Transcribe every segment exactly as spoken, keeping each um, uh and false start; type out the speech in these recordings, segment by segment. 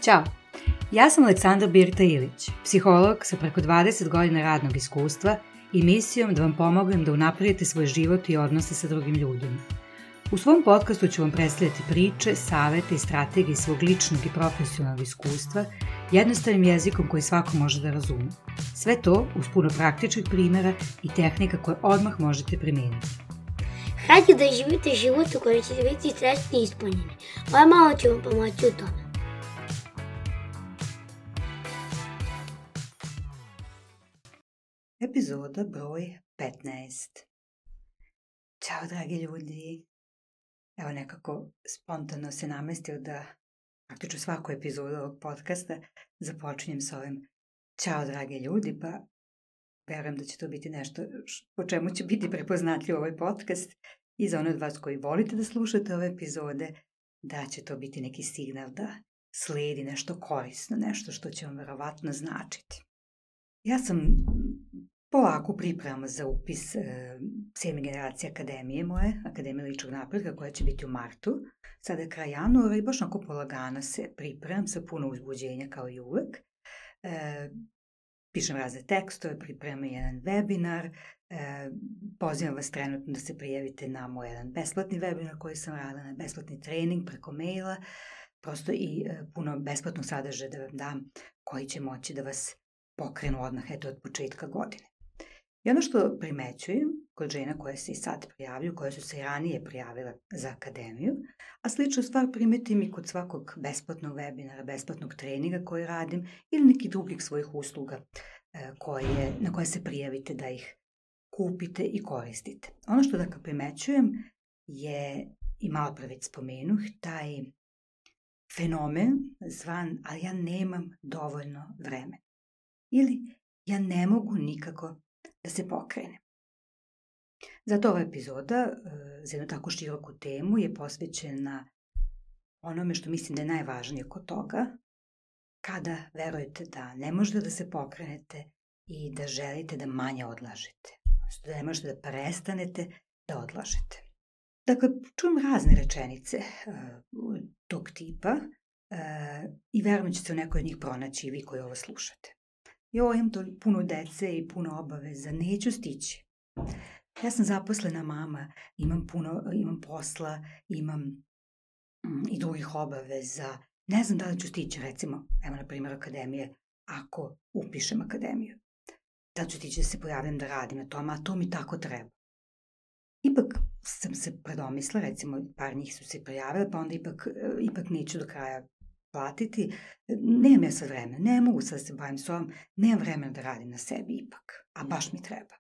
Ćao, ja sam Aleksandra Birta Ilić, psiholog sa preko dvadeset godina radnog iskustva i misijom da vam pomognem da unapredite svoj život i odnose sa drugim ljudima. U svom podcastu ću vam predstavljati priče, savete i strategije svog ličnog i profesionalnog iskustva jednostavnim jezikom koji svako može da razume. Sve to uz puno praktičnih primjera i tehnika koje odmah možete primijeniti. Hajde da živite život u kojem ćete biti srećni i ispunjeni. Ovo malo ću vam pomoći u tome. Epizoda broj petnaest. Ćao dragi ljudi. Evo nekako spontano se namestio da praktično svaku epizodu ovog podcasta započinjem s ovim ćao dragi ljudi, pa verujem da će to biti nešto po čemu će biti prepoznatljiv ovaj podcast i za one od vas koji volite da slušate ove epizode, da će to biti neki signal da slijedi nešto korisno, nešto što će vam verovatno značiti. Ja sam polako pripremam za upis e, sedme generacije akademije moje, Akademije ličnog napretka, koja će biti u martu. Sada je kraj januara i baš onako polagano se pripremam sa puno uzbuđenja kao i uvek. E, pišem razne tekstove, pripremam jedan webinar, e, pozivam vas trenutno da se prijavite na moj jedan besplatni webinar koji sam radila, na besplatni trening preko maila, prosto i e, puno besplatnog sadržaja da vam dam koji će moći da vas pokrenu odmah eto od početka godine. I ono što primećujem kod žena koje se i sad prijavljuju, koje su se i ranije prijavile za akademiju, a sličnu stvar primetim i kod svakog besplatnog webinara, besplatnog treninga koji radim ili nekih drugih svojih usluga koje, na koje se prijavite da ih kupite i koristite. Ono što dakle primećujem je, i malo pre već spomenuh, taj fenomen zvan, ali ja nemam dovoljno vremena. Ili ja ne mogu nikako da se pokrene. Zato ova epizoda e, za jednu tako široku temu je posvećena onome što mislim da je najvažnije kod toga, kada verujete da ne možete da se pokrenete i da želite da manje odlažete, odnosno da ne možete da prestanete da odlažete. Dakle, čujem razne rečenice e, tog tipa e, i verujem da ćete u nekoj od njih pronaći i vi koji ovo slušate. Jo, imam to puno dece i puno obaveza, neću stići. Ja sam zaposlena mama, imam puno, imam posla, imam mm, i drugih obaveza. Ne znam da li ću stići, recimo, evo na primjer akademije, ako upišem akademiju. Da li ću stići da se pojavim da radim na tome, a to mi tako treba. Ipak sam se predomisla, recimo par njih su se prijavile, pa onda ipak, ipak neću do kraja platiti, nemam ja sad vremena, ne mogu sad da se bavim s ovom, nemam vremena da radim na sebi ipak, a baš mi treba.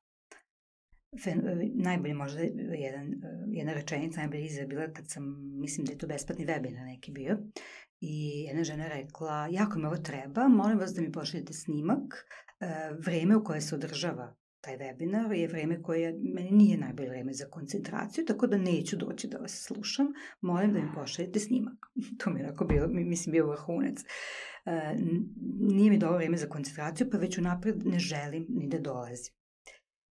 Fen, najbolje možda jedan, jedna rečenica najbolje izgleda bila kad sam, mislim da je to besplatni webinar neki bio, i jedna žena rekla, jako mi ovo treba, molim vas da mi pošaljete snimak, vreme u koje se održava taj webinar je vreme koje meni nije najbolje vreme za koncentraciju, tako da neću doći da vas slušam, molim da mi pošaljete snimak. To mi je onako bilo, mislim, bio vrhunac. E, nije mi dobro vreme za koncentraciju, pa već unapred ne želim ni da dolazim.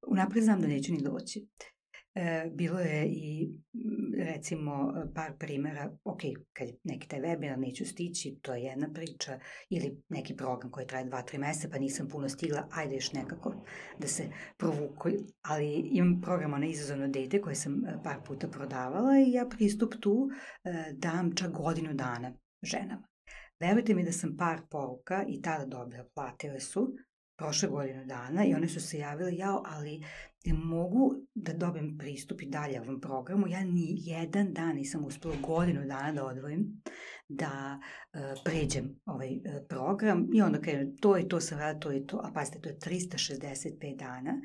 Unapred znam da neću ni doći. E, bilo je i recimo par primjera, ok, kad neki taj webinar neću stići, to je jedna priča, ili neki program koji traje dva, tri meseca, pa nisam puno stigla, ajde još nekako da se provuku, ali imam program na izazovno dete koje sam par puta prodavala i ja pristup tu e, dam čak godinu dana ženama. Verujte mi da sam par poruka i tada dobila, platile su, prošle godinu dana i one su se javile, jao, ali ne mogu da dobijem pristup i dalje ovom programu, ja ni jedan dan nisam uspela godinu dana da odvojim, da uh, pređem ovaj uh, program i onda krenem, to i to sam radila, to i to, a pazite, to je trista šezdeset pet dana,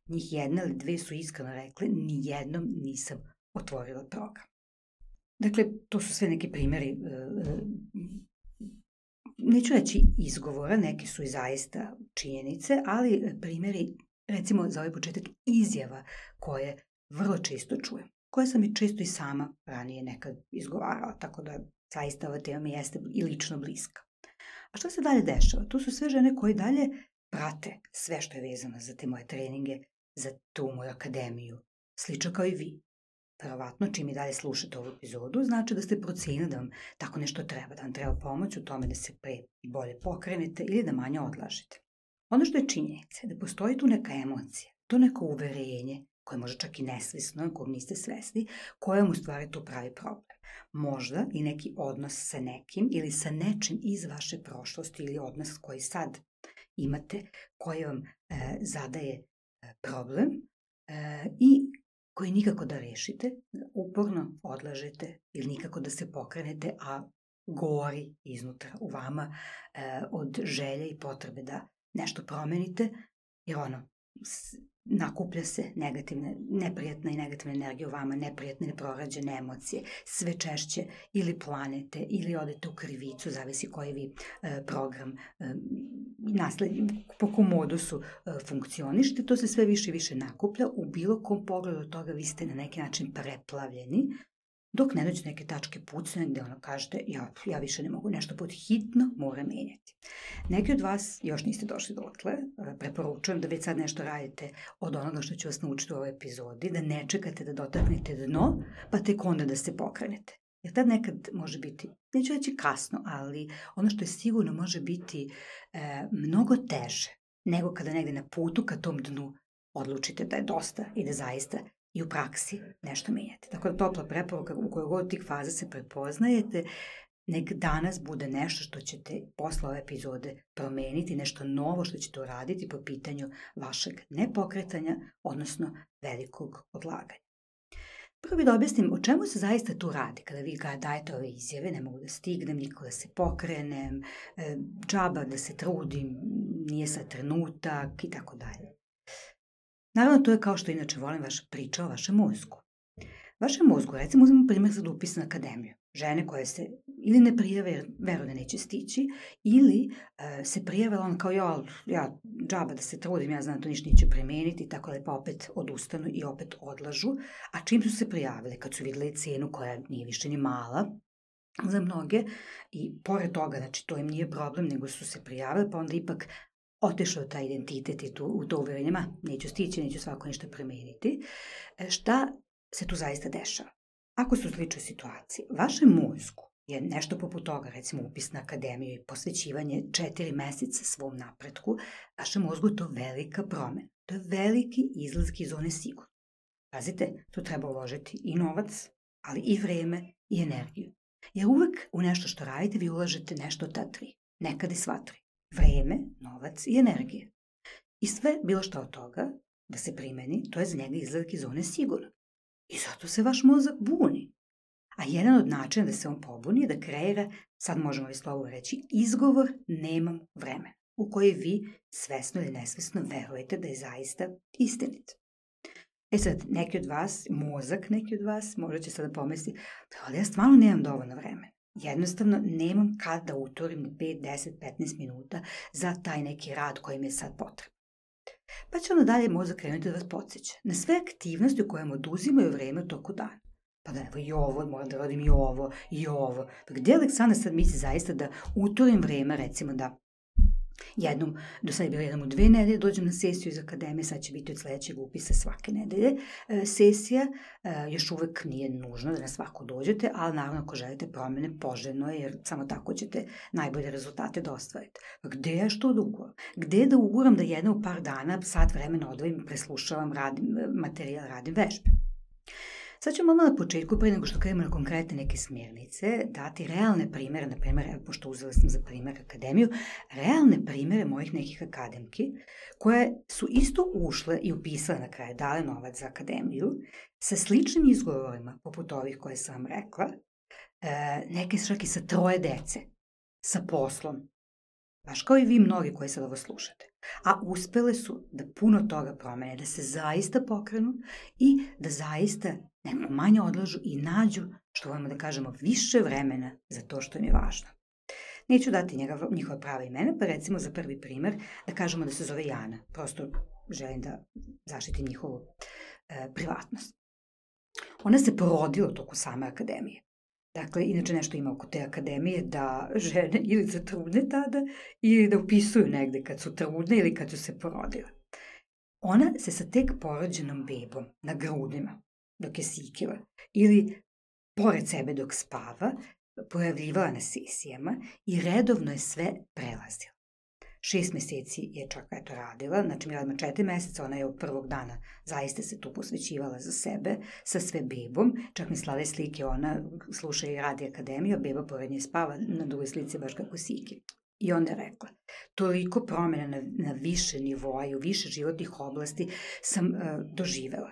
njih jedna ili dve su iskreno rekle, ni jednom nisam otvorila program. Dakle, to su sve neki primjeri uh, neću reći izgovora, neki su i zaista činjenice, ali primjeri, recimo za ovaj početak, izjava koje vrlo često čujem, koje sam i često i sama ranije nekad izgovarala, tako da zaista ova tema mi jeste i lično bliska. A što se dalje dešava? Tu su sve žene koje dalje prate sve što je vezano za te moje treninge, za tu moju akademiju, slično kao i vi. verovatno čim i dalje slušate ovu epizodu, znači da ste procenili da vam tako nešto treba, da vam treba pomoć u tome da se pre i bolje pokrenete ili da manje odlažete. Ono što je činjenica je da postoji tu neka emocija, to neko uverenje, koje može čak i nesvesno, kog niste svesni, koje vam u stvari tu pravi problem. Možda i neki odnos sa nekim ili sa nečim iz vaše prošlosti ili odnos koji sad imate, koji vam e, zadaje e, problem e, i koji nikako da rešite, uporno odlažete ili nikako da se pokrenete, a gori iznutra u vama e, od želje i potrebe da nešto promenite, jer ono, nakuplja se negativne, neprijatna i negativna energija u vama, neprijatne neprorađene emocije, sve češće ili planete ili odete u krivicu, zavisi koji vi e, program e, naslednji, po kom modusu e, funkcionište, to se sve više i više nakuplja, u bilo kom pogledu od toga vi ste na neki način preplavljeni, dok ne dođe neke tačke pucanja gde ono kažete, ja, ja više ne mogu, nešto pod hitno mora menjati. Neki od vas još niste došli dotle, preporučujem da već sad nešto radite od onoga što ću vas naučiti u ovoj epizodi, da ne čekate da dotaknete dno, pa tek onda da se pokrenete. Jer tad nekad može biti, neću reći kasno, ali ono što je sigurno može biti e, mnogo teže nego kada negde na putu ka tom dnu odlučite da je dosta i da zaista i u praksi nešto menjate. Tako da topla preporuka u kojoj god tih faza se prepoznajete, nek danas bude nešto što ćete posle ove epizode promeniti, nešto novo što ćete uraditi po pitanju vašeg nepokretanja, odnosno velikog odlaganja. Prvo bih da objasnim o čemu se zaista tu radi kada vi ga dajete ove izjave, ne mogu da stignem, nikako da se pokrenem, džaba da se trudim, nije sad trenutak i tako dalje. Naravno, to je kao što inače volim vaša priča o vašem mozgu. Vašem mozgu, recimo, uzmemo primjer za upis na akademiju. Žene koje se ili ne prijave jer veruju da neće stići, ili uh, se prijave, on kao ja, ja džaba da se trudim, ja znam da to ništa neće premeniti, tako da pa opet odustanu i opet odlažu. A čim su se prijavile, kad su vidjeli cenu koja nije više ni mala za mnoge, i pored toga, znači to im nije problem, nego su se prijavile, pa onda ipak otešao taj identitet i tu, u to uverenje, ma, neću stići, neću svako ništa premeniti. Šta se tu zaista dešava? Ako su u sličnoj situaciji, vašem mozgu je nešto poput toga, recimo upis na akademiju i posvećivanje četiri meseca svom napretku, vašem mozgu je to velika promena. To je veliki izlazak iz zone sigurno. Pazite, tu treba uložiti i novac, ali i vreme i energiju. Jer uvek u nešto što radite vi ulažete nešto od ta tri, nekad i sva tri. Vreme, novac i energija. I sve, bilo šta od toga, da se primeni, to je za njega izlazak iz zone sigurno. I zato se vaš mozak buni. A jedan od načina da se on pobuni je da kreira, sad možemo li slovo reći, izgovor nemam vremena, u koji vi svesno ili nesvesno verujete da je zaista istinit. E sad, neki od vas, mozak neki od vas, možda će sada pomisliti, ali ja stvarno nemam dovoljno vremena. Jednostavno, nemam kad da utorim ni pet, deset, petnaest minuta za taj neki rad koji mi je sad potreban. Pa će ono dalje mozak krenuti da vas podsjeća na sve aktivnosti u kojima oduzimaju vreme u toku dana. Pa da evo i ovo, moram da radim i ovo, i ovo. Pa gdje Aleksandra sad misli zaista da utorim vreme, recimo da jednom, do sada je bilo jednom u dve nedelje, dođem na sesiju iz akademije, sad će biti od sledećeg upisa svake nedelje e, sesija, e, još uvek nije nužno da na svako dođete, ali naravno ako želite promene, poželjno je, jer samo tako ćete najbolje rezultate da ostvarite. Pa gde je što da uguram? Gde je da uguram da jedno u par dana, sat vremena odvojim, preslušavam, radim materijal, radim vežbe? Sad ćemo odmah na početku, prije nego što krenemo na konkretne neke smjernice, dati realne primere, na primjer, pošto uzela sam za primjer akademiju, realne primere mojih nekih akademki, koje su isto ušle i upisale na kraju, dale novac za akademiju, sa sličnim izgovorima, poput ovih koje sam vam rekla, neke čak i sa troje dece, sa poslom, baš kao i vi mnogi koji sad ovo slušate. A uspele su da puno toga promene, da se zaista pokrenu i da zaista neko manje odlažu i nađu, što volimo da kažemo, više vremena za to što im je važno. Neću dati njega, njihova prava imena, pa recimo za prvi primer da kažemo da se zove Jana. Prosto želim da zaštitim njihovu e, privatnost. Ona se porodila u toku same akademije. Dakle, inače nešto ima oko te akademije da žene ili zatrudne tada ili da upisuju negde kad su trudne ili kad su se porodile. Ona se sa tek porođenom bebom na grudima dok je sikila ili pored sebe dok spava, pojavljivala na sesijama i redovno je sve prelazila. Šest meseci je čak eto radila, znači mi radimo četiri meseca, ona je od prvog dana zaista se tu posvećivala za sebe, sa sve bebom, čak mi slale slike, ona sluša i radi akademiju, a beba pored nje spava na drugoj slici baš kako siki. I onda je rekla, toliko promjena na, na više nivoa i u više životnih oblasti sam uh, doživela.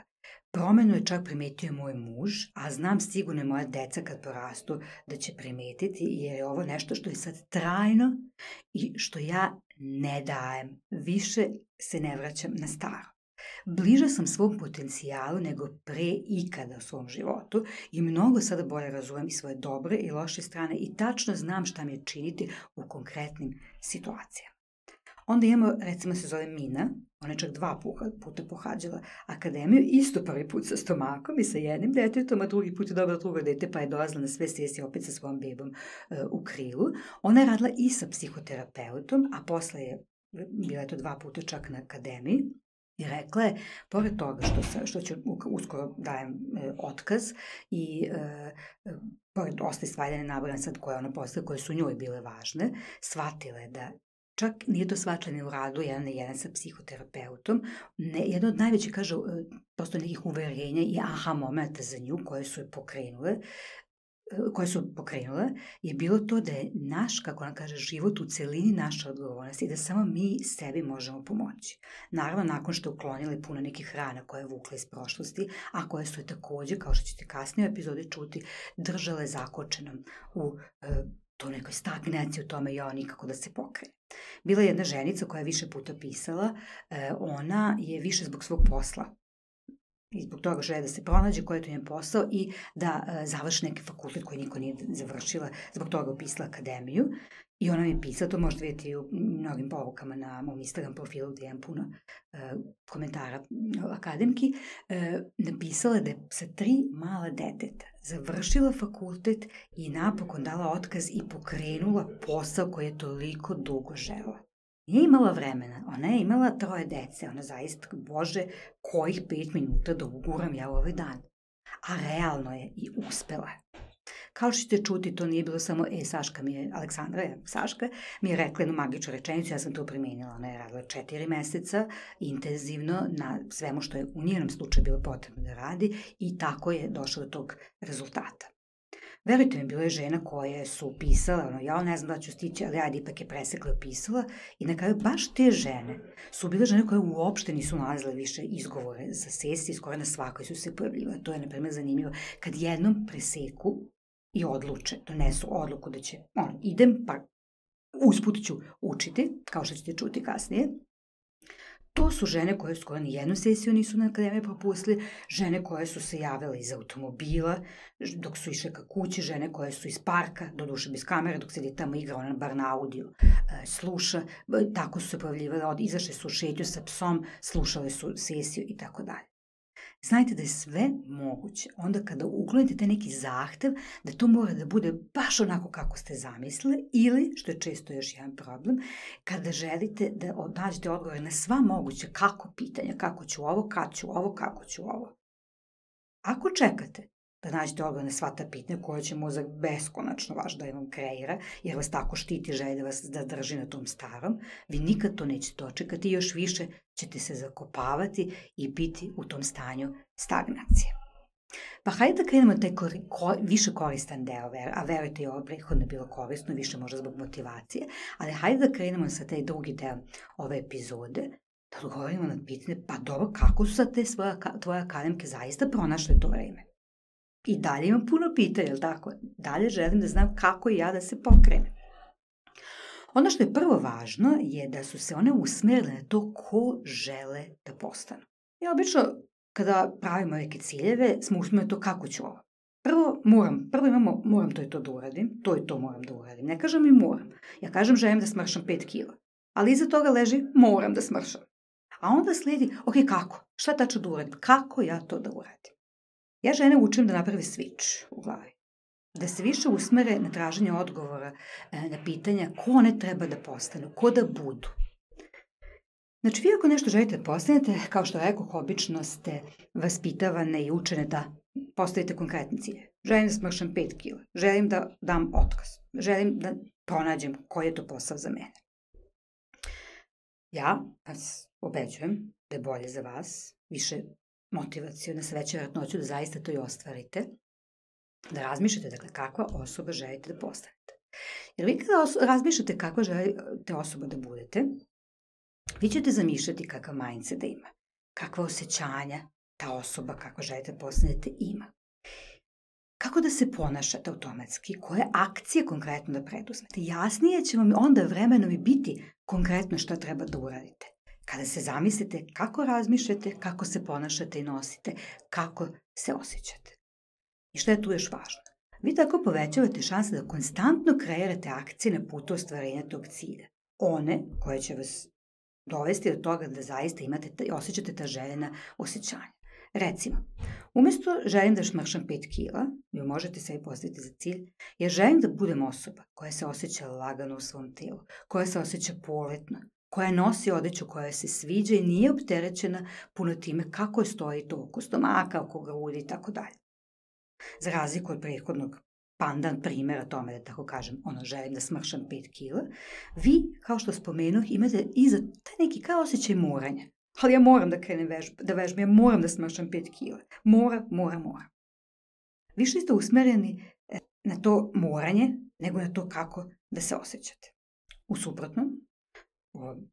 Promenu je čak primetio moj muž, a znam sigurno moja deca kad porastu da će primetiti, jer je ovo nešto što je sad trajno i što ja ne dajem. Više se ne vraćam na staro. Bliža sam svom potencijalu nego pre ikada u svom životu i mnogo sada bolje razumem i svoje dobre i loše strane i tačno znam šta mi je činiti u konkretnim situacijama. Onda imamo, recimo se zove Mina, ona je čak dva puta pohađala akademiju, isto prvi put sa stomakom i sa jednim detetom, a drugi put je dobila drugo dete pa je dolazila na sve sesije opet sa svojom bebom uh, u krilu. Ona je radila i sa psihoterapeutom, a posle je bila je to dva puta čak na akademiji. I rekla je, pored toga što, sa, što ću uskoro dajem e, otkaz i e, pored ostali stvari da ne nabrajam sad koje ona posle, koje su njoj bile važne, shvatila je da čak nije to shvaćanje u radu jedan na jedan sa psihoterapeutom, ne, jedno od najvećih, kaže, prosto nekih uverenja i aha momenta za nju koje su je pokrenule, koje su pokrenule, je bilo to da je naš, kako ona kaže, život u celini naša odgovornost i da samo mi sebi možemo pomoći. Naravno, nakon što je uklonili puno nekih rana koje je vukla iz prošlosti, a koje su je takođe, kao što ćete kasnije u epizodi čuti, držale zakočenom u e, to nekoj stagnaciji u tome, ja nikako da se pokrene. Bila je jedna ženica koja je više puta pisala, e, ona je više zbog svog posla i zbog toga žele da se pronađe koji je to njen posao i da e, završi neki fakultet koji niko nije završila, zbog toga upisala akademiju. I ona mi je pisala, to možete vidjeti u mnogim porukama na mom Instagram profilu gdje imam puno e, komentara akademki, e, napisala da je sa tri mala deteta završila fakultet i napokon dala otkaz i pokrenula posao koji je toliko dugo žela. Nije imala vremena, ona je imala troje dece, ona zaista, Bože, kojih pet minuta da uguram ja u ovaj dan. A realno je i uspela je. Kao što ćete čuti, to nije bilo samo, e, Saška mi je, Aleksandra je, Saška, mi je rekla jednu magičnu rečenicu, ja sam to primenila, ona je radila četiri meseca, intenzivno, na svemu što je u njenom slučaju bilo potrebno da radi i tako je došla do tog rezultata. Verujte mi, bilo je žena koje su pisale, ono, ja ne znam da ću stići, ali ajde, ipak je presekla i opisala. I na kraju baš te žene su bile žene koje uopšte nisu nalazile više izgovore za sesije, skoro na svakoj su se pojavljivale. To je, na primjer, zanimljivo. Kad jednom preseku i odluče, donesu odluku da će, ono, idem, pa usput ću učiti, kao što ćete čuti kasnije. To su žene koje skoro ni jednu sesiju nisu na akademiji propustili, žene koje su se javile iz automobila dok su išle ka kući, žene koje su iz parka, doduše bez kamere, dok sedi tamo igra, ona bar na audio sluša, tako su se pojavljivale, izašle su u šetnju sa psom, slušale su sesiju i tako dalje. Znajte da je sve moguće. Onda kada uklonite taj neki zahtev, da to mora da bude baš onako kako ste zamislili ili, što je često još jedan problem, kada želite da nađete odgovore na sva moguća kako pitanja, kako ću ovo, kad ću ovo, kako ću ovo. Ako čekate da nađete odgovor na sva ta pitanja koja će mozak beskonačno vaš da vam kreira, jer vas tako štiti, želi da vas da drži na tom starom, vi nikad to nećete dočekati i još više ćete se zakopavati i biti u tom stanju stagnacije. Pa hajde da krenemo taj kori, ko, više koristan deo, a verujte i ovo prethodno je bilo korisno, više možda zbog motivacije, ali hajde da krenemo sa taj drugi deo ove epizode, da odgovorimo na pitanje, pa dobro, kako su sad te svoje, tvoje akademke zaista pronašle to vreme? I dalje imam puno pitanja, jel tako? Dalje želim da znam kako i ja da se pokrenem. Ono što je prvo važno je da su se one usmerile na to ko žele da postanu. Ja obično, kada pravimo neke ciljeve, smo usmerili to kako ću ovo. Prvo moram, prvo imamo moram to i to da uradim, to i to moram da uradim. Ne kažem i moram. Ja kažem želim da smršam pet kila. Ali iza toga leži moram da smršam. A onda slijedi, ok, kako? Šta tačno da uradim? Kako ja to da uradim? Ja žene učim da naprave switch u glavi. Da se više usmere na traženje odgovora na pitanja ko one treba da postanu, ko da budu. Znači, vi ako nešto želite da postanete, kao što rekoh, obično ste vaspitavane i učene da postavite konkretne cilje. Želim da smršam pet kila, želim da dam otkaz, želim da pronađem koji je to posao za mene. Ja vas obeđujem da je bolje za vas, više motivaciona, sa veće vjerojatnoću da zaista to i ostvarite, da razmišljate, dakle, kakva osoba želite da postanete. Jer vi kada os- razmišljate kakva želite osoba da budete, vi ćete zamišljati kakav mindset da ima, kakva osjećanja ta osoba kakva želite da postanete ima. Kako da se ponašate automatski, koje akcije konkretno da preduzmete. Jasnije će vam onda vremenom i biti konkretno šta treba da uradite. Kada se zamislite kako razmišljate, kako se ponašate i nosite, kako se osjećate. I šta je tu još važno? Vi tako povećavate šanse da konstantno kreirate akcije na putu ostvarenja tog cilja. One koje će vas dovesti do toga da zaista imate i osjećate ta željena osjećanja. Recimo, umjesto želim da šmršam pet kila, vi možete sebi postaviti za cilj, jer želim da budem osoba koja se osjeća lagano u svom telu, koja se osjeća poletno, koja nosi odeću koja se sviđa i nije opterećena puno time kako stoji to oko stomaka, oko grudi i tako dalje. Za razliku od prethodnog pandan primjera tome, da tako kažem, ono, želim da smršam pet kila, vi, kao što spomenuh, imate iza taj neki kao osjećaj moranja. Ali ja moram da krenem vežb, da vežbam, ja moram da smršam pet kila. Mora, mora, mora. Više ste usmereni na to moranje, nego na to kako da se osjećate. U suprotnom,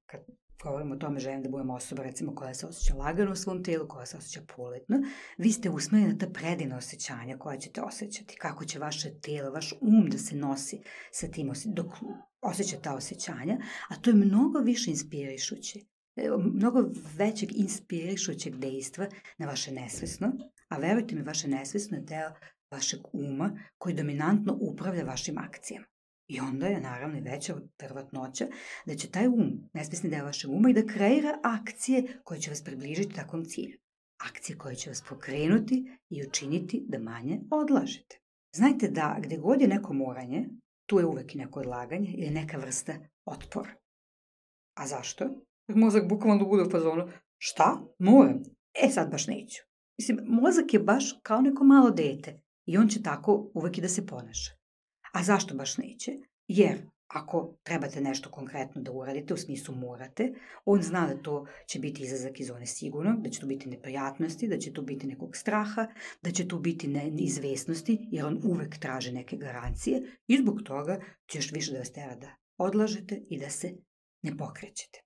kad govorimo o tome želim da budem osoba, recimo, koja se osjeća lagano u svom telu, koja se osjeća poletno, vi ste usmereni na ta predivna osjećanja koja ćete osjećati, kako će vaše telo, vaš um da se nosi sa tim, dok osjeća ta osjećanja, a to je mnogo više inspirišuće, mnogo većeg inspirišućeg dejstva na vaše nesvesno, a verujte mi, vaše nesvesno je deo vašeg uma koji dominantno upravlja vašim akcijama. I onda je naravno veća verovatnoća da će taj um, nesvesni deo vašeg uma, i da kreira akcije koje će vas približiti takvom cilju. Akcije koje će vas pokrenuti i učiniti da manje odlažete. Znajte da gde god je neko moranje, tu je uvek i neko odlaganje ili neka vrsta otpora. A zašto? Mozak bukvalno bude u fazonu, šta? Moram? E sad baš neću. Mislim, mozak je baš kao neko malo dete i on će tako uvek i da se ponaša. A zašto baš neće? Jer ako trebate nešto konkretno da uradite, u smislu morate, on zna da to će biti izlazak iz zone sigurno, da će to biti neprijatnosti, da će to biti nekog straha, da će to biti neizvesnosti, jer on uvek traži neke garancije i zbog toga će još više da vas tera da odlažete i da se ne pokrećete.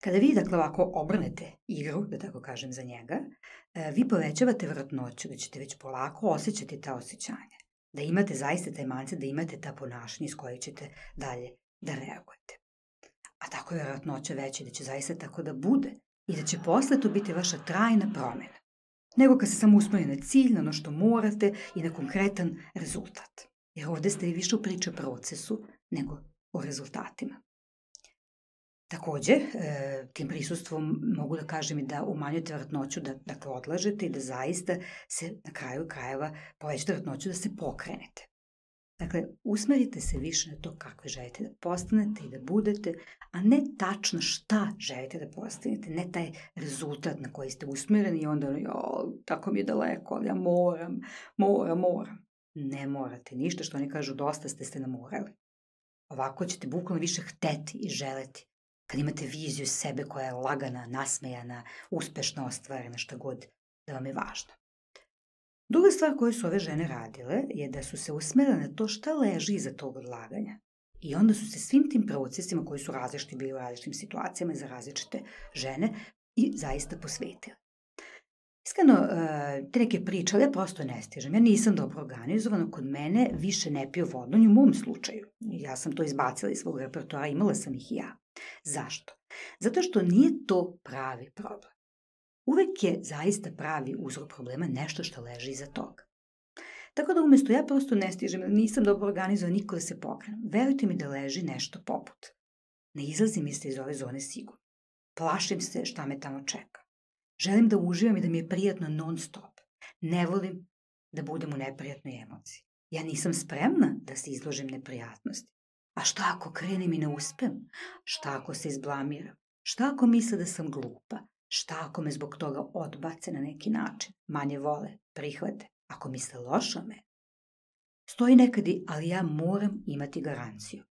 Kada vi, dakle, ovako obrnete igru, da tako kažem, za njega, vi povećavate vjerojatnoću da ćete već polako osjećati ta osjećanja. Da imate zaista taj mindset, da imate ta ponašanja iz kojeg ćete dalje da reagujete. A tako je vjerojatnoća veća da će zaista tako da bude i da će posle to biti vaša trajna promjena. Nego kad se samo usmeri na cilj, na ono što morate i na konkretan rezultat. Jer ovdje ste vi više u priči o procesu nego o rezultatima. Također, tim prisustvom mogu da kažem i da umanjujete vjerojatnoću da, dakle, odlažete i da zaista se na kraju krajeva povećate vjerojatnoću da se pokrenete. Dakle, usmerite se više na to kakve želite da postanete i da budete, a ne tačno šta želite da postanete, ne taj rezultat na koji ste usmereni i onda, jo, tako mi je daleko, ali ja moram, moram, moram. Ne morate ništa, što oni kažu, dosta ste ste namorali. Ovako ćete bukvalno više hteti i želeti. Kad imate viziju sebe koja je lagana, nasmejana, uspešno ostvarena, šta god da vam je važno. Druga stvar koju su ove žene radile je da su se usmerile na to šta leži iza tog odlaganja. I onda su se svim tim procesima koji su različiti bili u različitim situacijama za različite žene i zaista posvetile. Iskreno, te neke priče, ali ja prosto ne stižem. Ja nisam dobro organizovana, kod mene više ne piju vodu, ni u mom slučaju. Ja sam to izbacila iz svog repertoara, imala sam ih i ja. Zašto? Zato što nije to pravi problem. Uvek je zaista pravi uzrok problema nešto što leži iza toga. Tako da umjesto ja prosto ne stižem, nisam dobro organizovan, niko da se pokrenem. Verujte mi da leži nešto poput. Ne izlazim isto iz ove zone sigurno. Plašim se šta me tamo čeka. Želim da uživam i da mi je prijatno non stop. Ne volim da budem u neprijatnoj emociji. Ja nisam spremna da se izložim neprijatnosti. A šta ako krenem i ne uspem? Šta ako se izblamiram? Šta ako misle da sam glupa? Šta ako me zbog toga odbace na neki način? Manje vole, prihvate. Ako misle loše o meni? Stoji nekad i, ali ja moram imati garanciju.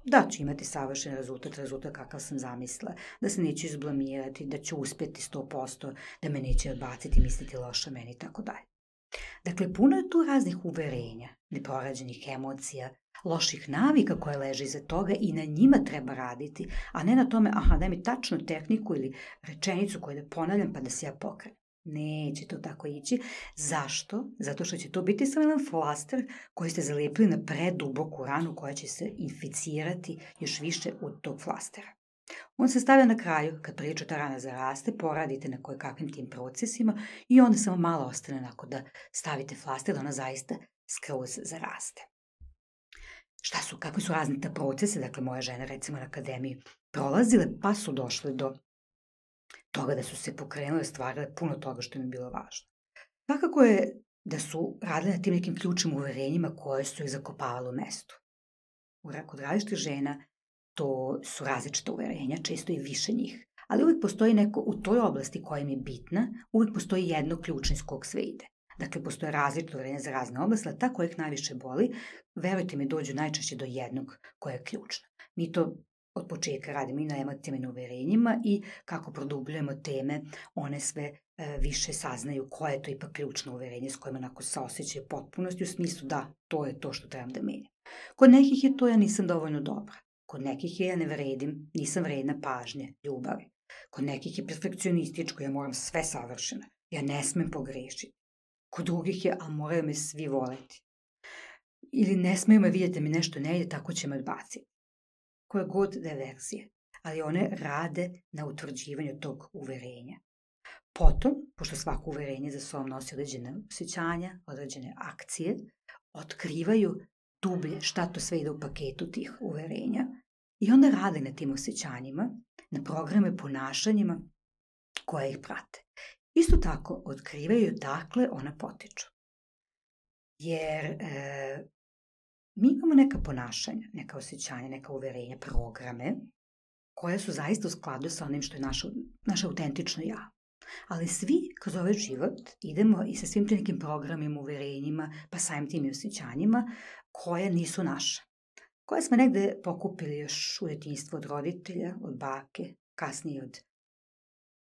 Da ću imati savršen rezultat, rezultat kakav sam zamislila, da se neću izblamirati, da ću uspjeti sto posto, da me neće odbaciti, misliti loše o meni i tako dalje. Dakle, puno je tu raznih uverenja, neporađenih emocija, loših navika koje leže iza toga i na njima treba raditi, a ne na tome, aha, daj mi tačnu tehniku ili rečenicu koju da ponavljam pa da se ja pokrenem. Neće to tako ići. Zašto? Zato što će to biti samo jedan flaster koji ste zalijepili na preduboku ranu koja će se inficirati još više od tog flastera. On se stavlja na kraju, kad priču ta rana zaraste, poradite na koje kakvim tim procesima i onda samo malo ostane nakon da stavite flaster da ona zaista skroz zaraste. Šta su, kakvi su razni ta procese, dakle moje žene recimo na akademiji prolazile pa su došle do toga da su se pokrenule, stvarile puno toga što im je bilo važno. Svakako je da su radile na tim nekim ključnim uverenjima koje su ih zakopavale u mestu. Kod različitih žena to su različite uverenja, često i više njih, ali uvijek postoji neko u toj oblasti koja im je bitna, uvijek postoji jedno ključno iz kog sve ide. Dakle, postoje različite uverenja za razne oblasti, ali ta koja ih najviše boli, verujte mi, dođu najčešće do jednog koja je ključna. Mi to od početka radimo i na emocijama i na uverenjima i kako produbljujemo teme, one sve e, više saznaju koje je to ipak ključno uverenje s kojima onako se osjećaju potpunosti u smislu da, to je to što trebam da menjam. Kod nekih je to ja nisam dovoljno dobra. Kod nekih je ja ne vredim, nisam vredna pažnje, ljubavi. Kod nekih je perfekcionističko, ja moram sve savršeno, ja ne smem pogrešiti. Kod drugih je, a moraju me svi voleti. Ili ne smeju me vidjeti da mi nešto ne ide, tako će me odbaciti. Koje god da je verzije, ali one rade na utvrđivanju tog uverenja. Potom, pošto svako uverenje za sobom nosi određene osjećanja, određene akcije, otkrivaju dublje šta to sve ide u paketu tih uverenja i onda rade na tim osjećanjima, na programe ponašanjima koje ih prate. Isto tako otkrivaju dakle ona potiču. Jer e, mi imamo neka ponašanja, neka osjećanja, neka uverenja, programe koje su zaista u skladu sa onim što je naše, naše autentično ja. Ali svi kroz ovaj život idemo i sa svim tim nekim programima, uverenjima, pa samim tim i osjećanjima koje nisu naše. Koje smo negde pokupili još u djetinjstvu od roditelja, od bake, kasnije od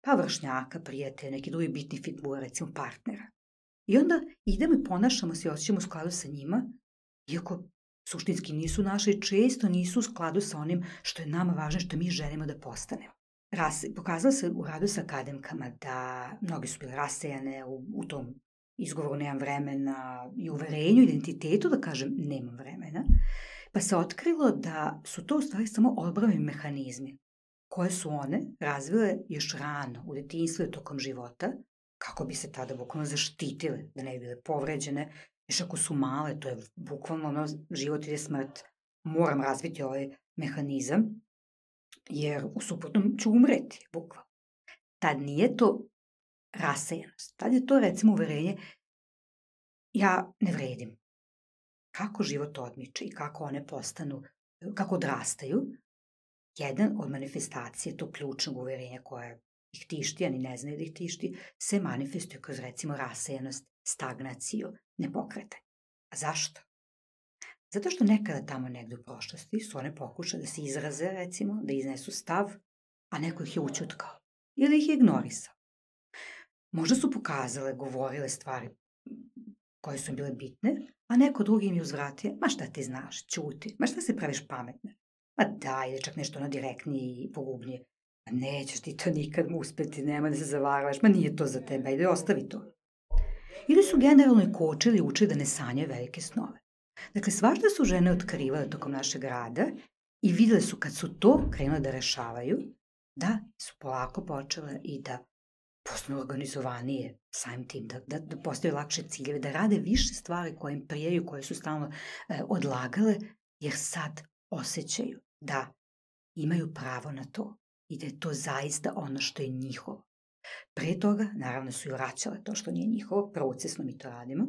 pa vršnjaka, prijatelja, neki drugi bitni figura, recimo partnera. I onda idemo i ponašamo se i osjećamo u skladu sa njima, iako suštinski nisu naše i često nisu u skladu sa onim što je nama važno, što mi želimo da postanemo. Ras, pokazalo se u radu sa akademkama da mnogi su bile rasejane u, u tom izgovoru nemam vremena i uverenju, identitetu, da kažem nemam vremena, pa se otkrilo da su to u stvari samo odbrani mehanizmi koje su one razvile još rano u djetinjstvu i tokom života, kako bi se tada bukvalno zaštitile, da ne bi bile povređene. Još ako su male, to je bukvalno ono, život ili smrt, moram razviti ovaj mehanizam, jer u suprotnom ću umreti, bukvalno. Tad nije to rasejanost, tad je to recimo uverenje, ja ne vredim. Kako život odmiče i kako one postanu, kako odrastaju, jedan od manifestacije tog ključnog uverenja koje ih tišti, a ni ne znaju da ih tišti, se manifestuje kroz recimo rasejanost, stagnaciju, nepokretanje. A zašto? Zato što nekada tamo negde u prošlosti su one pokušale da se izraze, recimo, da iznesu stav, a neko ih je ućutkao ili ih je ignorisao. Možda su pokazale, govorile stvari koje su im bile bitne, a neko drugi im je uzvratio, ma šta ti znaš, ćuti, ma šta se praviš pametne, ma daj, ili čak nešto ono direktnije i pogubnije, ma nećeš ti to nikad uspjeti, nema da se zavaravaš, ma nije to za tebe, ajde ostavi to. Ili su generalno i kočili i učili da ne sanjaju velike snove. Dakle, svašta su žene otkrivale tokom našeg rada i vidjeli su kad su to krenule da rešavaju, da su polako počele i da postanu organizovanije samim tim, da, da, da postaju lakše ciljeve, da rade više stvari koje im prijaju, koje su stalno e, odlagale, jer sad osjećaju da imaju pravo na to i da je to zaista ono što je njihovo. Pre toga, naravno, su i vraćale to što nije njihovo, procesno mi to radimo,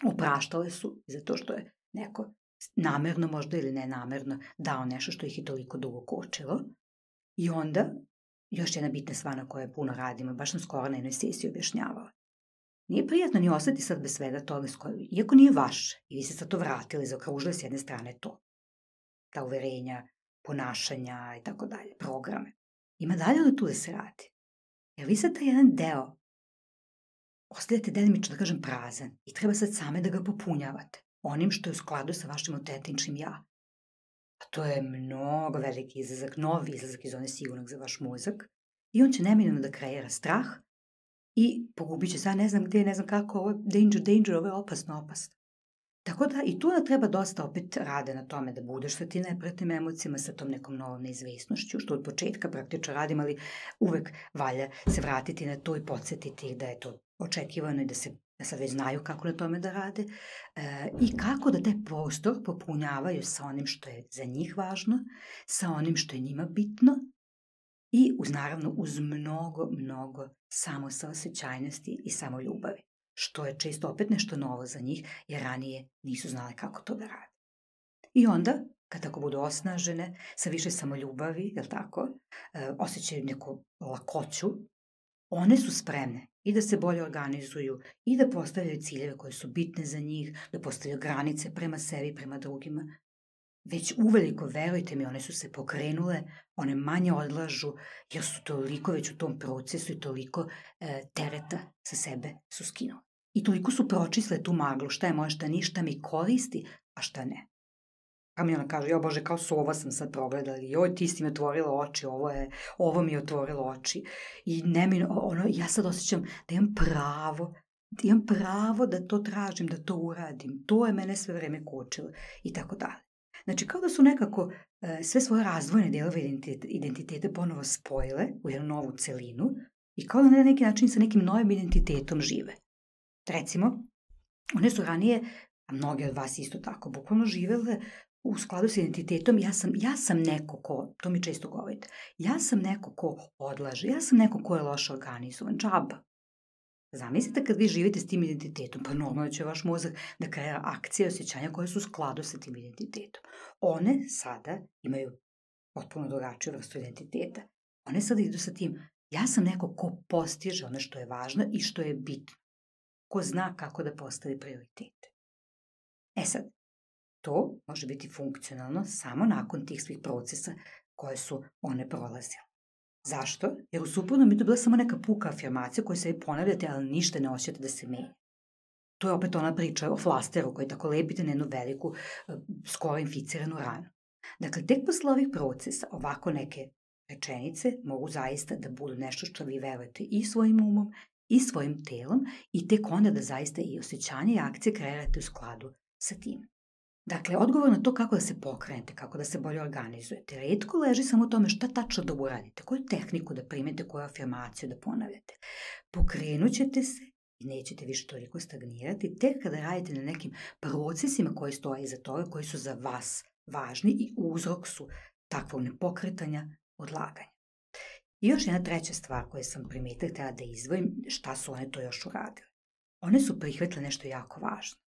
opraštale su zato što je neko namerno možda ili nenamerno dao nešto što ih je toliko dugo kočilo I onda, još jedna bitna stvar na kojoj puno radimo, baš sam skoro na jednoj sesiji objašnjavala. Nije prijatno ni ostati sad bez svega toga, iako nije vaše, i vi ste sad to vratili, zaokružili s jedne strane to. Ta uverenja, ponašanja i tako dalje, programe. Ima dalje ono tu da se radi. Jer vi sad taj jedan deo ostavljate delimično, da kažem, prazan i treba sad same da ga popunjavate onim što je u skladu sa vašim autentičnim ja. A to je mnogo veliki izazak, novi izazak iz one sigurnog za vaš mozak i on će neminovno da kreira strah i pogubit će se, ja ne znam gde, ne znam kako, ovo je danger, danger, ovo je opasno, opasno. Tako da i tu da treba dosta opet rade na tome da budeš sa tim neprijatnim emocijama, sa tom nekom novom neizvesnošću, što od početka praktično radim, ali uvek valja se vratiti na to i podsjetiti ih da je to očekivano i da se da sad već znaju kako na tome da rade e, i kako da taj prostor popunjavaju sa onim što je za njih važno, sa onim što je njima bitno i uz, naravno uz mnogo, mnogo samosaosećajnosti i samoljubavi, što je često opet nešto novo za njih, jer ranije nisu znali kako to da rade. I onda, kad tako budu osnažene, sa više samoljubavi, jel tako, e, osjećaju neku lakoću, one su spremne i da se bolje organizuju i da postavljaju ciljeve koje su bitne za njih, da postavljaju granice prema sebi, prema drugima. Već uveliko, verujte mi, one su se pokrenule, one manje odlažu, jer su toliko već u tom procesu i toliko e, tereta sa sebe su skinule. I toliko su pročisle tu maglu, šta je moje, šta ništa mi koristi, a šta ne. Pa mi ona kaže, jo Bože, kao sova sam sad progledala, joj ti si mi otvorila oči, ovo, je, ovo mi je otvorilo oči. I ne mi, ono, ja sad osjećam da imam pravo, da imam pravo da to tražim, da to uradim. To je mene sve vreme kočilo i tako dalje. Znači, kao da su nekako e, sve svoje razvojne delove identitete, identitete ponovo spojile u jednu novu celinu i kao da na neki način sa nekim novim identitetom žive. Recimo, one su ranije, a mnoge od vas isto tako, bukvalno živele u skladu s identitetom, ja sam, ja sam neko ko, to mi često govorite, ja sam neko ko odlaže, ja sam neko ko je loše organizovan, džaba. Zamislite kad vi živite s tim identitetom, pa normalno će vaš mozak da kreira akcije i osjećanja koje su u skladu sa tim identitetom. One sada imaju potpuno drugačiju vrstu identiteta. One sada idu sa tim, ja sam neko ko postiže ono što je važno i što je bitno. Ko zna kako da postavi prioritete. E sad, to može biti funkcionalno samo nakon tih svih procesa koje su one prolazile. Zašto? Jer u suprotnom bi to bila samo neka puka afirmacija koju se vi ponavljate, ali ništa ne osjećate da se menja. To je opet ona priča o flasteru koji tako lepite na jednu veliku, skoro inficiranu ranu. Dakle, tek posle ovih procesa, ovako neke rečenice mogu zaista da budu nešto što vi verujete i svojim umom i svojim telom i tek onda da zaista i osjećanje i akcije kreirate u skladu sa tim. Dakle, odgovor na to kako da se pokrenete, kako da se bolje organizujete, retko leži samo u tome šta tačno da uradite, koju tehniku da primete, koju afirmaciju da ponavljate. Pokrenut ćete se i nećete više toliko stagnirati tek kada radite na nekim procesima koji stoje iza toga, koji su za vas važni i uzrok su takvog nepokretanja, odlaganja. I još jedna treća stvar koju sam primetila, htjela da izdvojim, šta su one to još uradile. One su prihvatile nešto jako važno.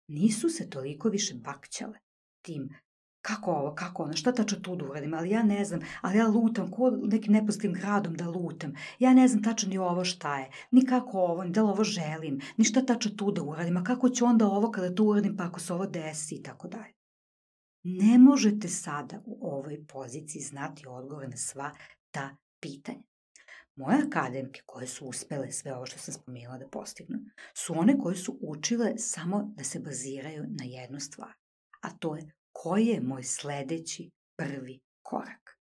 Nisu se toliko više bakćale tim kako ovo, kako ono, šta tačno tu da uradim, ali ja ne znam, ali ja lutam, ko nekim nepoznatim gradom da lutam, ja ne znam tačno ni ovo šta je, ni kako ovo, ni da li ovo želim, ni šta tačno tu da uradim, a kako ću onda ovo kada to uradim, pa ako se ovo desi i tako dalje. Ne možete sada u ovoj poziciji znati odgovor na sva ta pitanja. Moje akademke koje su uspele sve ovo što sam spomenula da postignu, su one koje su učile samo da se baziraju na jednu stvar, a to je koji je moj sledeći prvi korak.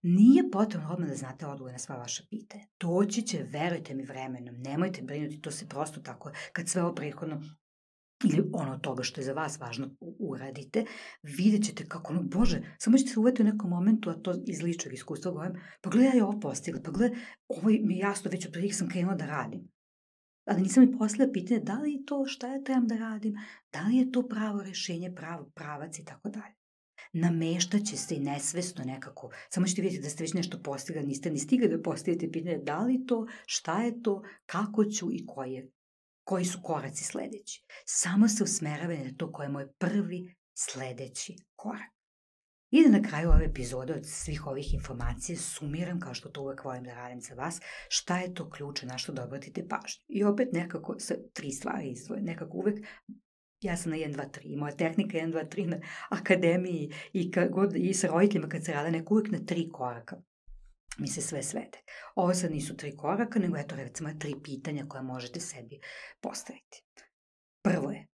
Nije potrebno odmah da znate odgovor na sva vaša pitanja. Doći će, verujte mi, vremenom, nemojte brinuti, to se prosto tako, kad sve ovo prethodno ili ono toga što je za vas važno uradite, vidjet ćete kako, ono, Bože, samo ćete se uveti u nekom momentu, a to iz ličnog iskustva govorim, pa gledaj, ja ovo postigla, pa gledaj, ovo mi je jasno, već od prvih sam krenula da radim. Ali nisam mi postavila pitanje da li je to šta ja trebam da radim, da li je to pravo rešenje, pravo pravac i tako dalje. Nameštaće se i nesvesno nekako, samo ćete vidjeti da ste već nešto postigla, niste ni stigli da postavite pitanje da li to, šta je to, kako ću i koji je koji su koraci sledeći. Samo se usmeravaju na to koji je moj prvi sledeći korak. I da na kraju ove epizode od svih ovih informacija sumiram, kao što to uvek volim da radim za vas, šta je to ključe na što da obratite pažnju. I opet nekako sa tri stvari izdvoje. Nekako uvek, ja sam na jedan, dva, tri, moja tehnika jedan, dva, tri na akademiji i, god, i sa roditeljima kad se rade, neko uvek na tri koraka mi se sve svede. Ovo sad nisu tri koraka, nego eto recimo tri pitanja koja možete sebi postaviti. Prvo je,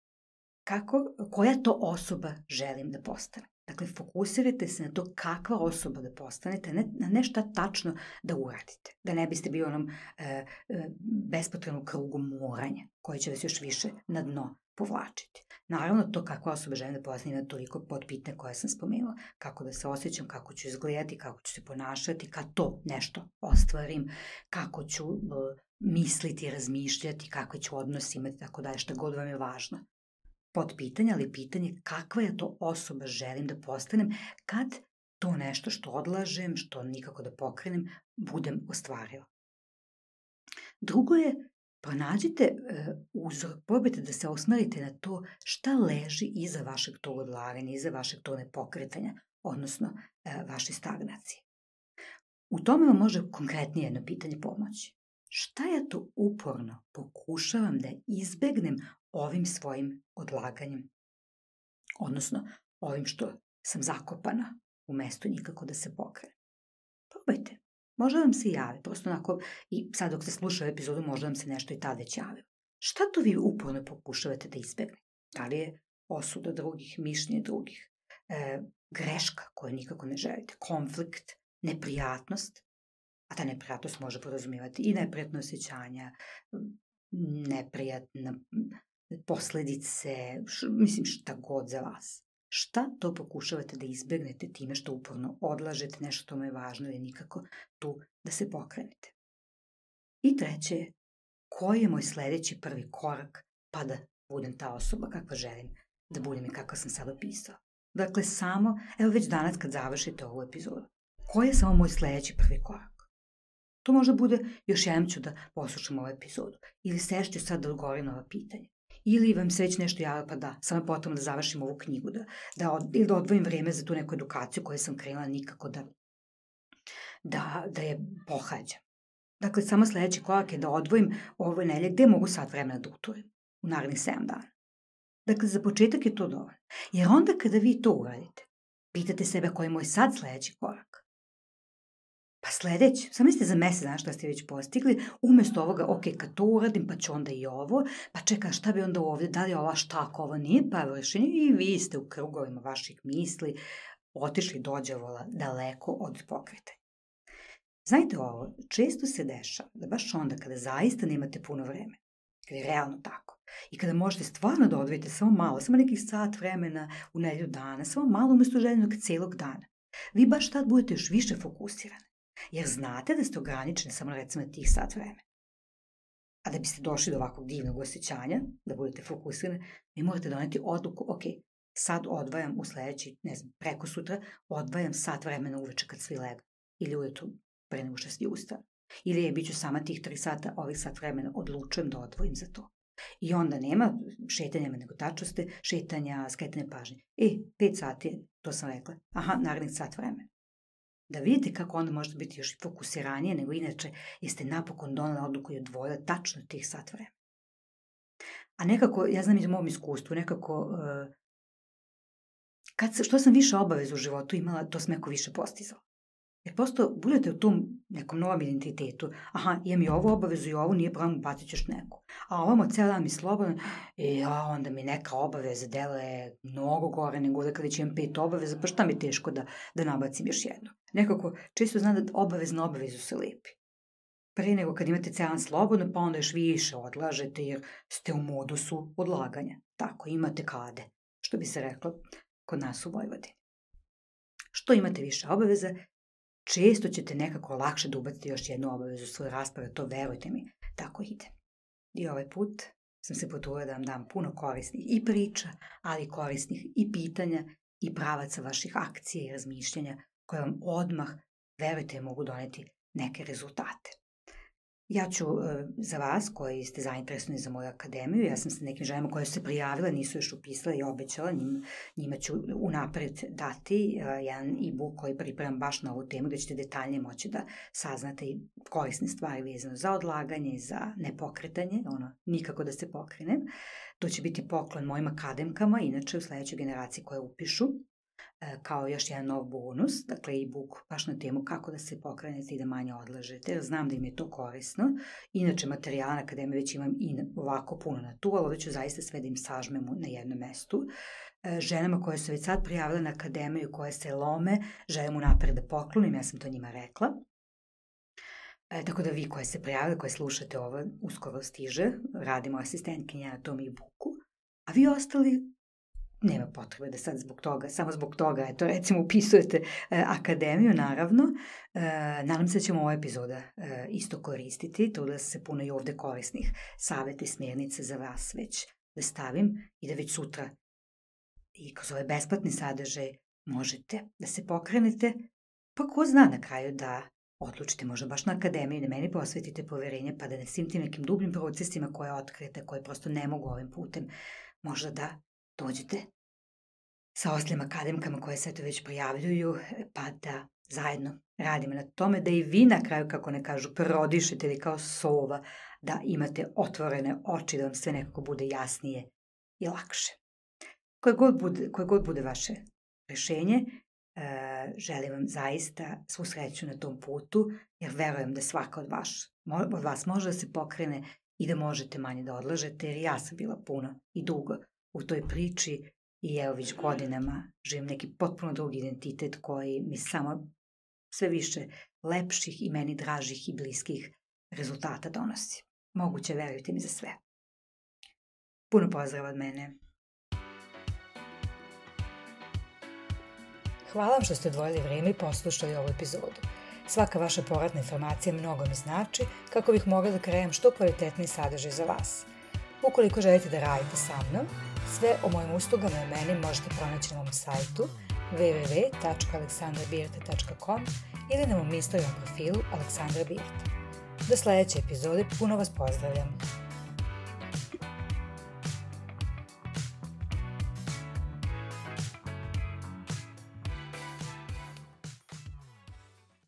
kako, koja to osoba želim da postane? Dakle, fokusirajte se na to kakva osoba da postanete, ne, na nešto tačno da uradite. Da ne biste bili onom e, e, bespotrebnom krugu moranja, koji će vas još više na dno povlačiti. Naravno, to kakva osoba želim da postane ima toliko podpitanja koje sam spomenula. Kako da se osjećam, kako ću izgledati, kako ću se ponašati, kad to nešto ostvarim, kako ću e, misliti, razmišljati, kakve ću odnos imati, tako da je šta god vam je važno. Podpitanje, ali pitanje kakva je to osoba želim da postanem kad to nešto što odlažem, što nikako da pokrenem, budem ostvarila. Drugo je, pronađite e, uzrok, probajte da se osmerite na to šta leži iza vašeg tog odlaganja, iza vašeg tog nepokretanja, odnosno e, vaše stagnacije. U tome vam može konkretnije jedno pitanje pomoći. Šta ja to uporno pokušavam da izbegnem ovim svojim odlaganjem, odnosno ovim što sam zakopana u mestu nikako da se pokrene. Probajte, možda vam se javi, prosto onako, i sad dok se sluša epizodu, možda vam se nešto i tad već javi. Šta to vi uporno pokušavate da izbegnete? Da li je osuda drugih, mišljenje drugih, e, greška koju nikako ne želite, konflikt, neprijatnost, a ta neprijatnost može podrazumijevati i neprijatno osjećanja, neprijatna posledice, š, mislim šta god za vas. Šta to pokušavate da izbegnete time što uporno odlažete, nešto što vam je važno ili nikako tu da se pokrenete. I treće je, koji je moj sledeći prvi korak pa da budem ta osoba kakva želim da budem i kakva sam sad opisala. Dakle, samo, evo već danas kad završite ovu epizodu, koji je samo moj sledeći prvi korak? To možda bude, još jednom ću da poslušam ovu epizodu, ili sešću sad da odgovorim na ova pitanja. Ili vam se već nešto javlja, pa da, samo je potrebno da završim ovu knjigu, da, da, od, ili da odvojim vreme za tu neku edukaciju koju sam krenula nikako da, da, da je pohađam. Dakle, samo sledeći korak je da odvojim ovoj nelje gde mogu sat vremena da uturim u narednih sedam dana. Dakle, za početak je to dovoljno. Jer onda kada vi to uradite, pitate sebe koji je moj sad sledeći korak. Pa sledeći, samo mislite za mesec dana što ste već postigli, umesto ovoga, ok, kad to uradim, pa ću onda i ovo, pa čekaj, šta bi onda ovde, da li je ova štaka, ovo nije pravo rešenje, i vi ste u krugovima vaših misli otišli dođavola daleko od pokretanja. Znajte ovo, često se dešava da baš onda kada zaista nemate puno vremena, kada je realno tako, i kada možete stvarno da odvojite samo malo, samo nekih sat vremena u nedelju dana, samo malo umesto željenog celog dana, vi baš tad budete još više fokusirani. Jer znate da ste ograničeni samo recimo tih sat vremena. A da biste došli do ovakvog divnog osjećanja, da budete fokusirani, vi morate doneti odluku, ok, sad odvajam u sledeći, ne znam, preko sutra, odvajam sat vremena uveče kad svi lega. Ili ujutru pre nego što svi ustanu. Ili je, bit ću sama tih tri sata, ovih sat vremena odlučujem da odvojim za to. I onda nema šetanja, nego tačno ste šetanja, skretanja pažnje. E, pet sati, to sam rekla, aha, narednih sat vremena. Da vidite kako onda možete biti još fokusiranije nego inače jeste napokon donela odluku i odvojila tačno tih sat vremena. A nekako, ja znam iz mom iskustvu, nekako, uh, kad, što sam više obaveza u životu imala, to sam neko više postizala. Jer prosto budete u tom nekom novom identitetu, aha, imam i ovu obavezu i ovu, nije problem, bacit ćeš neku. A ovamo cijel dan mi slobodan, i ja, onda mi neka obaveza deluje mnogo gore nego da kada će imam pet obaveza, pa šta mi je teško da, da nabacim još jednu. Nekako, često znam da obavez na obavezu se lepi. Pre nego kad imate cijel dan slobodno, pa onda još više odlažete jer ste u modusu odlaganja. Tako, imate kade, što bi se reklo kod nas u Vojvodini. Što imate više obaveza, često ćete nekako lakše da ubacite još jednu obavezu u svoje rasprave, to verujte mi, tako ide. I ovaj put sam se potrudila da vam dam puno korisnih i priča, ali korisnih i pitanja i pravaca vaših akcija i razmišljanja koje vam odmah, verujte, mogu doneti neke rezultate. Ja ću za vas koji ste zainteresovani za moju akademiju, ja sam sa nekim ženama koje su se prijavile, nisu još upisale i obećala, njima, njima ću unapred dati jedan e-book koji pripremam baš na ovu temu, gde ćete detaljnije moći da saznate i korisne stvari vezano za odlaganje, za nepokretanje, ono, nikako da se pokrinem. To će biti poklon mojim akademkama, inače u sledećoj generaciji koje upišu, kao još jedan nov bonus, dakle e-book baš na temu kako da se pokrenete i da manje odlažete, jer znam da im je to korisno. Inače, materijala na akademiji već imam i ovako puno na tu, ali ovdje ću zaista sve da im sažmem na jednom mestu. Ženama koje su već sad prijavile na akademiju, koje se lome, želim unapred da poklonim, ja sam to njima rekla. E, tako da vi koje se prijavile, koje slušate ovo, uskoro stiže, radimo asistentkinja na tom e-booku, a vi ostali nema potrebe da sad zbog toga, samo zbog toga, eto, recimo, upisujete e, akademiju, naravno. E, nadam se da ćemo ova epizoda e, isto koristiti, to da se puno i ovde korisnih savjeta i smjernica za vas već da stavim i da već sutra i kroz ove besplatni sadržaj možete da se pokrenete, pa ko zna na kraju da odlučite možda baš na akademiji, da meni posvetite poverenje, pa da ne svim tim nekim dubljim procesima koje otkrijete, koje prosto ne mogu ovim putem, možda da dođete sa ostalim akademkama koje se to već prijavljuju, pa da zajedno radimo na tome, da i vi na kraju, kako ne kažu, prodišete ili kao sova, da imate otvorene oči, da vam sve nekako bude jasnije i lakše. Koje god bude, koje god bude vaše rešenje, e, želim vam zaista svu sreću na tom putu, jer verujem da svaka od vas, od vas može da se pokrene i da možete manje da odlažete, jer ja sam bila puno i dugo u toj priči i evo već godinama živim neki potpuno drugi identitet koji mi samo sve više lepših i meni dražih i bliskih rezultata donosi. Moguće, verujte mi, za sve. Puno pozdrava od mene. Hvala vam što ste odvojili vreme i poslušali ovu epizodu. Svaka vaša povratna informacija mnogo mi znači kako bih mogla da krenem što kvalitetniji sadržaj za vas. Ukoliko želite da radite sa mnom, sve o mojim uslugama i meni možete pronaći na mom sajtu w w w tačka aleksandra birta tačka com ili na mom Instagram profilu Aleksandra Birta. Do sledeće epizode puno vas pozdravljam.